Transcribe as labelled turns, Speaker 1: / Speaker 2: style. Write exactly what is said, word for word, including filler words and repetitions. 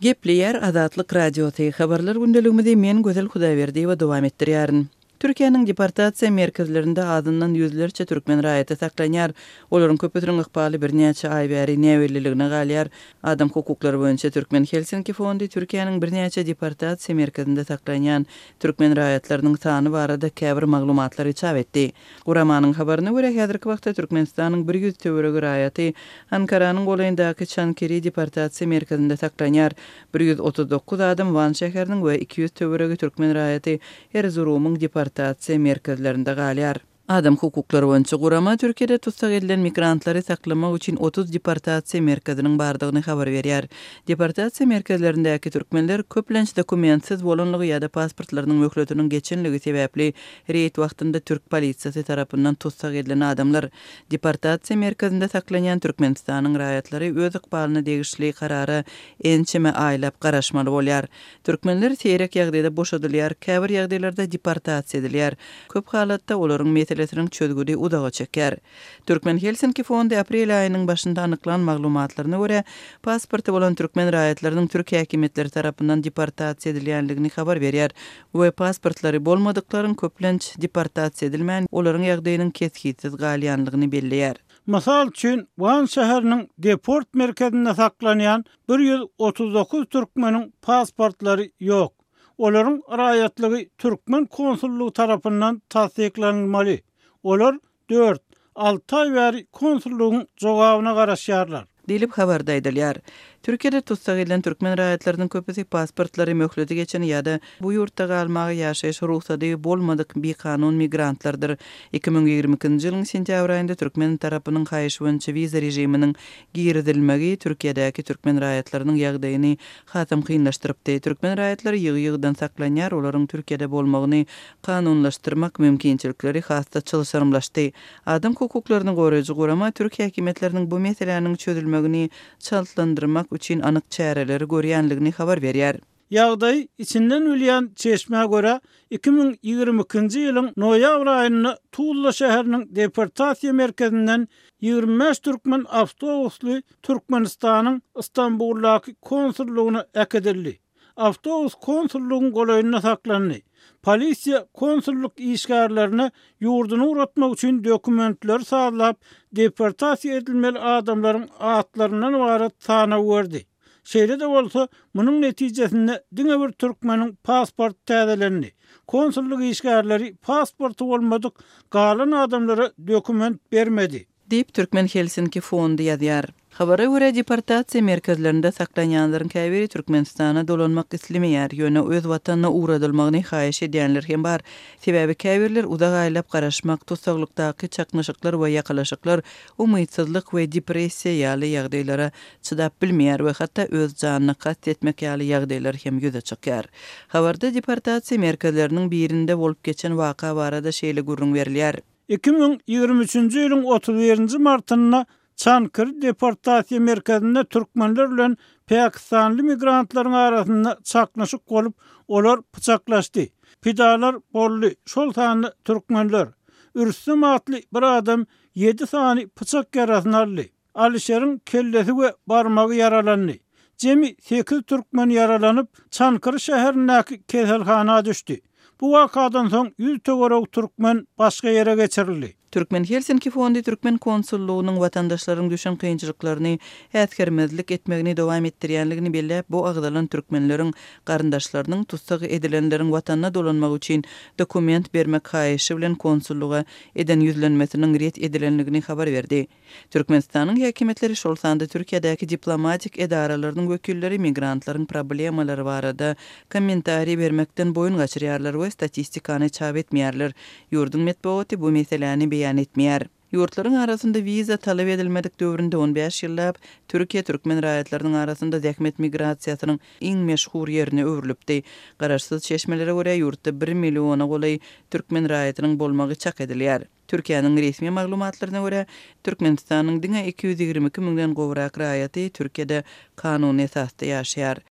Speaker 1: Gepleýär Azatlyk Radiosy, Habarlar gündeligimizi men Gözel Hudaýberdiýewa dowam etdirýärin. Türkiýäniň deportasiýa merkezlerinde azyndan ýüzlerçe türkmen raýaty saklanýar. Olaryň köpüsiniň ykbaly birnäçe aý bäri näbelliligine galýar. Adam hukuklary boýunça Türkmen Helsinki fondy Türkiýäniň birnäçe deportasiýa merkezinde saklanýan türkmen raýatlarynyň sany barada käbir maglumatlary çap etdi. Guramanyň habaryna görä, häzirki wagtda Türkmenistanyň bir ýüz töweregi raýaty Ankaranyň golaýyndaky Çankiri deportasiýa merkezinde saklanýar. Bir ýüz otuz dokuz adam Wan şäheriniň we iki ýüz töweregi türkmen raýaty Erzurumyň deportasiýa merkezlerinde galýar. Adam hukuklary boýunça gurama Türkiýede tussag edilen migrantlary saklamak üçin otuz deportasiýa merkeziniň bardygyny habar berýär. Deportasiýa merkezlerindäki türkmenler köplenç dokumentsiz bolanlygy ýa-da pasportlarynyň möhletiniň geçenligi sebäpli reýd wagtynda türk polisiýasy tarapyndan tussag edilen adamlar. Deportasiýa merkezinde saklanýan Türkmenistanyň raýatlary öz ykbalyna degişli karara ençeme aýlap garaşmaly bolýar. Türkmenler seýrek ýagdaýda boşadylýar, käbir ýagdaýlarda deportasiýa edilýär. Köp halatda olaryň meselesiniň çözgüdi uzaga çekýär. Türkmen Helsinki fondy aprel aýynyň başynda anyklan maglumatlaryna görä, pasporty bolan türkmen raýatlarynyň türk häkimiýetleri tarapyndan deportasiýa edilýändigini habar berýär we pasportlary bolmadyklaryň köplenç deportasiýa edilmän, olaryň ýagdaýynyň kesgitsiz galýanlygyny belleýär.
Speaker 2: Mysal üçin, Wan şäheriniň deport merkezinde saklanýan bir ýüz otuz dokuz türkmeniň pasportlary ýok. Olaryň raýatlygy türkmen konsullygy tarapyndan tassyklanylmaly. Olar dört, alty aý bäri konsullygyň jogabyna garaşýarlar.
Speaker 1: Diýlip habarda aýdylýar. Türkiýede tussag edilen türkmen raýatlarynyň köpüsi pasportlary möhleti geçen ýa-da bu ýurtda galmaga ýaşaýyş rugsady bolmadyk bikanun migrantlardyr. Iki müň ýigrimi ikinji ýylyň sentýabr aýynda türkmen tarapynyň haýyş boýunça wiza režiminiň girizilmegi Türkiýedäki türkmen raýatlarynyň ýagdaýyny hasam kynlaşdyrypdy. Türkmen raýatlary ýygy-ýygydan saklanýar, olaryň Türkiýede bolmagyny kanunlaşdyrmak mümkinçilikleri has-da çylşyrymlaşdy. Adam hukuklaryny goraýjy gurama türk häkimiýetleriniň bu meseläniň çözülmegini çaltlandyrmak üçin anyk çäreleri görýänligini habar berýär.
Speaker 2: Ýagdaý içinden bilýän çeşmä görä, iki müň ýigrimi ikinji ýylyň noýabr aýynda Tuzla şäheriniň deportasiýa merkezinden ýigrimi bäş türkmen awtobusly Türkmenistanyň Istanbuldaky konsullygyna äkidildi. Awtobus konsullygyň golaýynda saklandy. Polisiýa konsullyk işgärlerine ýurduny ugratmak üçin dokumentleri sazlap, deportasiýa edilmeli adamlaryň atlaryndan ybarat sanaw berdi. Şeýle-de bolsa, munuň netijesinde diňe bir türkmeniň pasport täzelendi. Konsullyk işgärleri pasporty bolmadyk galan adamlara dokument bermedi.
Speaker 1: Diýip, Türkmen Helsinki fondy ýazýar. Habara görä, deportasiýa merkezlerinde saklanýanlaryň käbiri Türkmenistana dolanmak islemeýär, ýöne öz watanyna ugradylmagyny haýyş edýänler hem bar. Sebäbi käbirler uzak aýlap garaşmak, tussaglykdaky çaknyşyklar we ýakalaşyklar, umytsyzlyk we depressiýa ýaly ýagdaýlara çydap bilmeýär we hatda öz janyna kast etmek ýaly ýagdaýlar hem ýüze çykýar. Habarda deportasiýa merkezleriniň birinde bolup geçen waka barada şeýle gürrüň berilýär.
Speaker 2: Iki müň ýigrimi üçünji ýylyň otuz birinji martynda Çankyrı deportasiýa merkezinde türkmenler bilen pakistanly migrantlaryň arasynda çaknyşyk bolup, olar pyçaklaşdy. Pidalar boldy, şol sanda türkmenler. Rüstem atly bir adam ýedi sany pyçak ýarasyny aldy. Alişeriň kellesi we barmagy ýaralandy. Jemi sekiz türkmen ýaralanyp, Çankyrı şäherindäki keselhana düşdi. Bu wakadan soň ýüz töweregi türkmen başga ýere geçirildi.
Speaker 1: Türkmen Helsinki fondy Türkmen konsullygynyň watandaşlaryň düşen kynçylyklaryny äsgermezlik etmegini dowam etdirýänligini belläp, bu agzalan türkmenleriň garyndaşlarynyň tussag edilenleriň watanyna dolanmagy üçin dokument bermek haýyşy bilen konsullyga eden ýüzlenmesiniň ret edilenligini habar berdi. Türkmenistanyň häkimiýetleri, şol sanda Türkiýedäki diplomatik edaralarynyň wekilleri migrantlaryň problemalary barada kommentariý bermekden boýun gaçyrýarlar we statistikany çap etmeýärler. Ýurduň metbugaty bu meseläni beýan etmeýär. Ýurtlaryň arasynda wiza talap edilmedik döwründe on bäş ýyllap Türkiýe türkmen raýatlarynyň arasynda zähmet migrasiýasynyň iň meşhur ýerine öwrülipdi. Garaşsyz çeşmelere görä, ýurtda bir milliona golaý türkmen raýatynyň bolmagy çak edilýär. Türkiýäniň resmi maglumatlaryna görä, Türkmenistanyň diňe iki ýüz ýigrimi iki müňden gowrak raýaty Türkiýede kanuny esasda ýaşaýar.